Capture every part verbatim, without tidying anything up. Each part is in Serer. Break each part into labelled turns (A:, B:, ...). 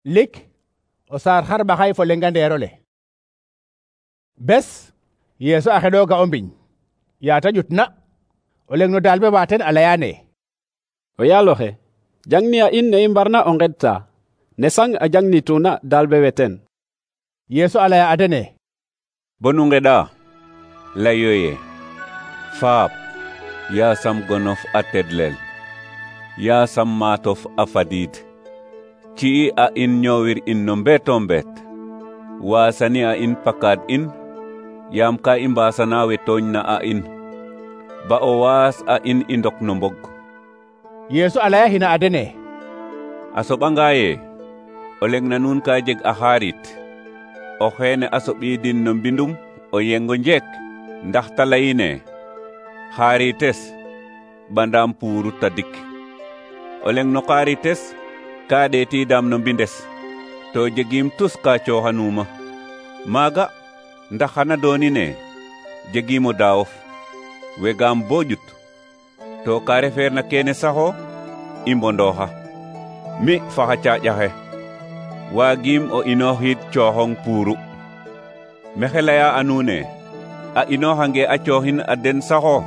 A: lik o saar xarɓaxay fo lenga ndeerole. bes Yeesu a xeɗooga o mbiñ yaata ƴutna o leng no daal be wa ten a leyaane:
B: o yaaloxe, jangni a in ne i mbarna o ngedta ne sang a jangnituna daal be we ten.
A: Yeesu a laya a dene:
C: bonu ngeɗa layo ye faap yaasam gonof a tedlel yaasam maatof a fadiid ci'i a in ñoowir in no mbeeto mbeet waasani a in pakaad in yaam ka i mbaasana we tooñna a in ba o waas a in i ndok no mbog.
A: Yeesu a laya hina a dene:
C: a soɓanga ye o leng na nuun ka jeg a xaarit o xeene a soɓiidin no mbindum o yengo njek ndax ta layine xaarites bandaam puuru tadik o leng no xaarites ka ɗeetiidam no mbindes to jegim tus ka cooxanuuma maaga ndax xana doonine jegimo daawof wegaam bo ƴut to ka refeerna kene saxo i mbondooxa mi faxa caaƴaxe waagiim o inooxiid cooxong puuru mexe laya a nuune a inooxange a cooxin a den saxo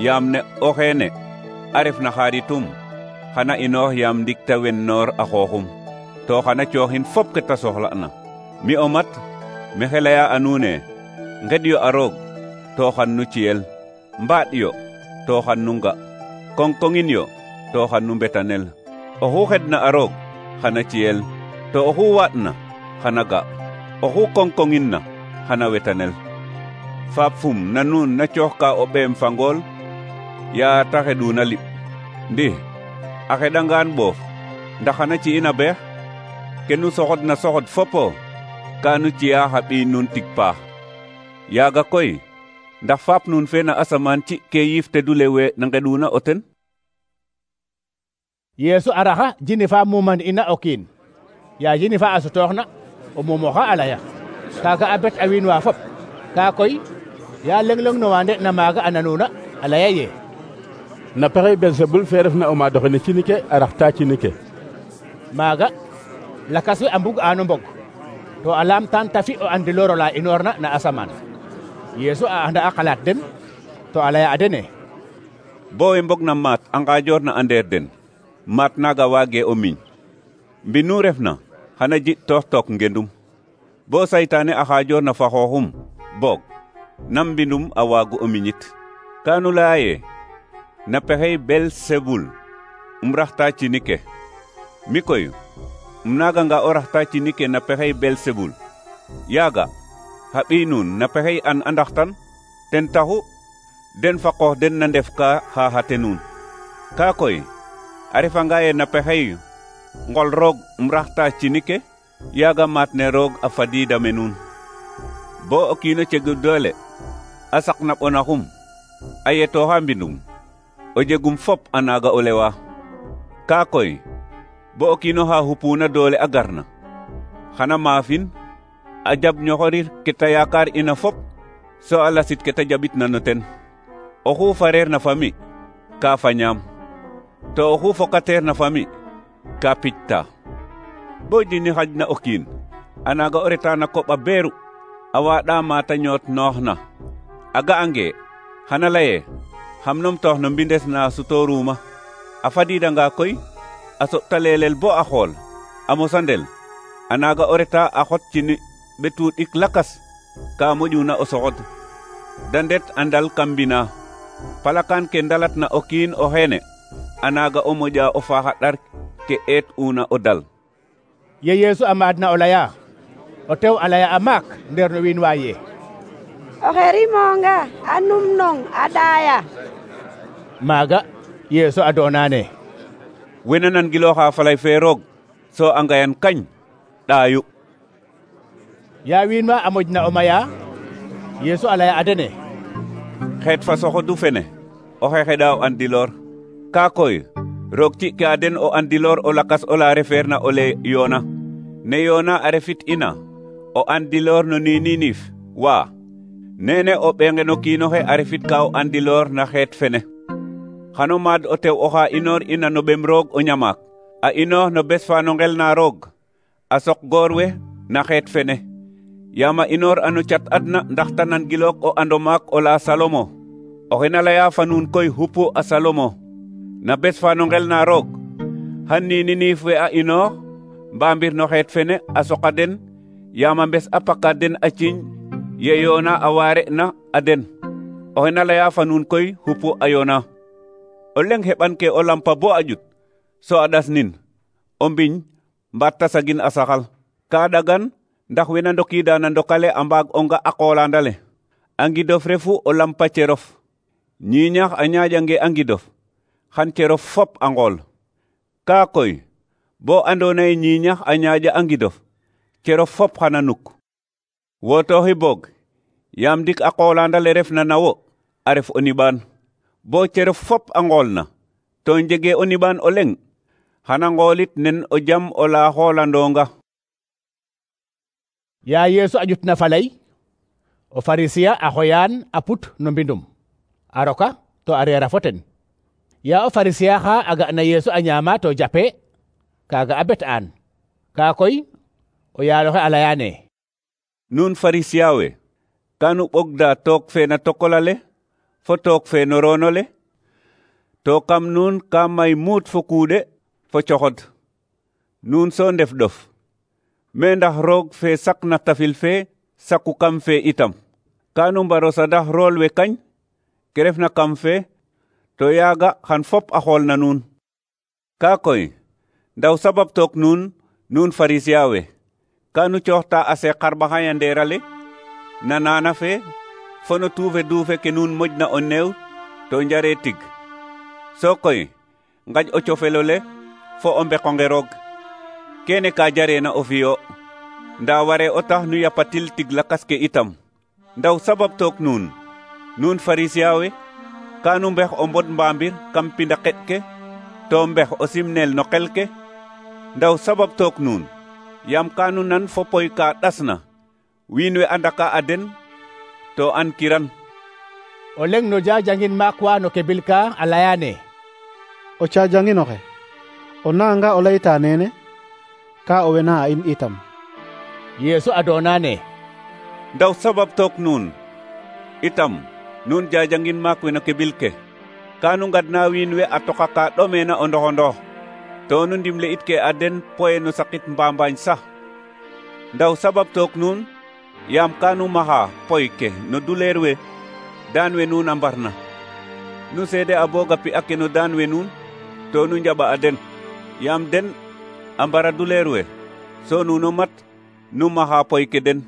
C: yaam ne o xeene a refna xaaritum xana inoox yaam ndik ta wennoor a xooxum to xana cooxin fop ke ta soxla'na mi o mat mexe laya a nuune nged yo a roog to xan nu ciyel mbaaɗ yo to xan nu nga koŋkoŋin yo to xan nu mbetanel oxu xedna a roog xana ciyel to oxu waaɗna xana ga oxu koŋkoŋin na xana wetanel faap fum na nuun na cooxka o ɓeem fa ngool yaa ta xeɗuna liɓ ndi a xeɗangaan ɓoof ndax xana ci'in a beex ke nu soxodna soxod fopo ka nu ci'a xa ɓiy nuun tig paax yaaga koy ndax faap nuun fe na asamaan ci ke yiif tedule we na ngeɗuna o ten.
A: Yeesu a raxa jini fa muman ina o kiin yaa jini fa a sutooxna o mumoxa a laya kaaga a bet a wiin wa fop kaa koy yaa leng-leng no wa nde'na maaga a nanuna a laya ye
D: na pexey Belsebul fe refna o maadoxe cini ke a raxta cini ke.
A: maaga lakas we a mbug aano mbog to a laamtaan ta fi o andiloor ola inoorna na asamaan. Yeesu a anda a xalaat den to a laya a dene:
C: bo we mbog na maat a ngaajoor na a ndeer den maat naaga waage o miñ mbinu refna xana ji toox took ngendum bo saytaane a xaajoor na fa xooxum boog nam mbindum a waagu o miñit kaanu laya ye na pexey Belsebul um raxta cini ke mi koy um naaganga o raxta cini ke na pexey Belsebul yaaga xa ɓiy nuun na pexey an a ndaxtan ten taxu den fa qoox den na ndef ka xaaxate nuun kaa koy a refanga ye na pexey ngol roog um raxta cini ke yaaga maat ne roog a fadiida me nuun bo o kiino cegu doole a saqna ɓonaxum a yetooxa mbindum o jegum fop a naaga o lewa kaa koy bo o kiino xa xupuuna doole a garna xana maafin a jab ñoxorir ke ta yaakaar ina fop so a lasit ke ta jabitna no ten oxu fareer na fami ka fañaam to oxu fokateer na fami ka picta bo jini xajna o kiin a naaga o reta na koɓ a beeru a waaɗa maata ñoot noox na a ga'ange xana laye xam numtoox no mbindes na sutooruma a fadiidanga koy a soɓta leelel bo a xool a mosandel a naaga o reta a xot cini ɓetu ɗik lakas ka moƴuna o soxod da ndet a ndal kam mbina palakaan ke ndalatna o kiin o xeene a naaga o moƴa o faaxa ɗar ke eet una o dal.
A: ye Yeesu a maadna o laya o tew a laya a maak ndeer no wiin wa ye
E: oxe rimonga a numnong a ɗaaya.
A: maaga Yeesu a doonaane
C: wena nangilooxa falay fe roog so a ngayan kañ ɗaayu.
A: yaa wiin wa a moƴna o maya Yeesu a laya a dene:
C: xeet fa soxodu fene oxe xeɗa o andiloor kaa koy roog ci'ke a den o andiloor o lakas ola refeerna o le yoona ne yoona a refit ina o andiloor no niiniinif waa nene o ɓeenge no kiinoxe a refit ka o andiloor na xeet fene xano maad o tew oxa inoor ina no ɓem roog o ñamaak a inoox no bes fa no ngel na roog a sok goor we na xeet fene yaam a inoor ano cat adna ndax ta nan gilook o ando maak o la Salomo oxe na leya fa nuun koy xupu a Salomo na bes fa no ngel na roog xan niini niif we a inoox mbambir no xeet fene a soqa den yaam a mbes a paka den a ciiñ ye yoona a waare na a den oxe na leya fa nuun koy xupu a yoona o leng heɓan ke o lampa bo a ƴut so a ɗas nin o mbiñ mbaat ta sagin a saxal ka ɗagan ndax wena ndokiida na ndokale a mbaag o nga a qoolandale a ngidof refu o lampa cerof ñiiñax a ñaaƴange a ngidof xan cerof fop a ngool kaa koy bo andoona ye ñiiñax a ñaaƴa a ngidof cerof fop xana nuk wotooxi boog yaam ndik a qoolandale refna na wo a ref o niɓaan bo cerof fop a ngoolna to njegee o niɓaan o leŋ xana ngoolit nen o jam o la xoolandoonga.
A: yaa Yeesu a ƴutna faley o Farisiya a xoyaan a put no mbindum a roka to a reera fo ten yaa o Farisiya xa a ga'na Yeesu a ñaama to jape kaaga a bet'aan kaa koy o yaaloxe a layaane
C: nuun Farisiya we kanu ɓogda took fe na tokolale fo took fe no roonole to kam nuun ka may muut fo kuuɗe fo coxod nuun so ndef ɗof me ndax roog fe sakna tafil fe saku kam fe itam kanu mbaro sadax rool we kañ ke refna kam fe to yaaga xan fop a xool na nuun kaa koy ndaw sabab took nuun nuun Farisiya we kanu cooxta a seeq xarɓaxay a ndeerale na naana fe fo no tuufe duufe ke nuun moƴna o neew to njare tig so koy ngaƴ o cofelole fo o mbeqonge roog kene ka jareena o fiyo nda ware o tax nu yapatil tig lakas ke itam ndaw sabab took nuun nuun Farisiya we kanu mbex o mbod mbambir kam pinda qeɗ ke to mbex o simnel no qel ke ndaw sabab took nuun yaam kanu nan fo poy ka ɗasna wiin we andaka a den to an kiran
A: o leŋ no jajangin maak wa no kebil ka a layaane
F: o cajanginoxe o nanga o layta nene ka o wena a in itam
A: Yeesu a doonaane
C: ndaw sabab took nuun itam nuun jajangin maak we no kebil ke kanu ngadna wiin we a toqa ka ɗomeena o ndoxondox to nu ndimle it ke a den poye no sakit mbambañ sax ndaw sabab took nuun yaam kanu maxa poy ke no duleer we daan we nuun a mbarna nu seede a booga pi ake no daan we nuun to nu njaɓa a den yaam den a mbara duleer we so nuuno mat nu maxa poy ke den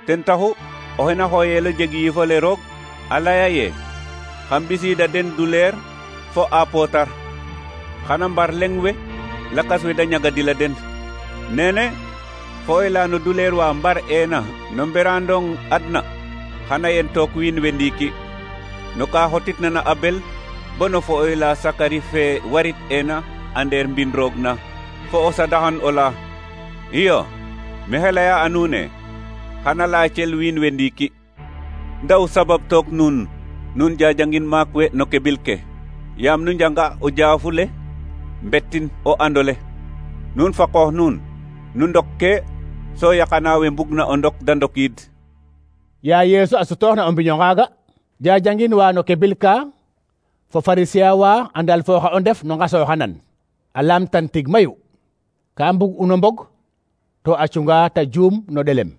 C: ten taxu oxe na xooyeelo jeg yiifole roog a laya ye xa mbisiida den duleer fo a pootar xana mbar leŋ we lakas we da ñagadila den nene fooyla no duleer wa mbar eena no mberandong adna xana yen took wiin we ndiiki no ka xotitna na Abel bo no fooyla Sakari fe warit eena a ndeer mbin roog na fo o sadaxan o la iyo mexe laya a nuune xana laacel wiin we ndiiki ndaw sabab took nuun nuun jajangin maak we no kebil ke yaam nu njanga o jaafule mbettin o andole nuun fa qoox nuun nu ndok ke so yaqana we mbugna o ndok da ndokiid
A: yaa Yeesu a sutooxna o mbiño ngaaga jajangin wa no kebil ka fo Farisiya wa a ndalfooxa o ndef no ngasooxanan a laamtan tig mayu ka mbug uno mbog to a cunga ta juum no ɗelem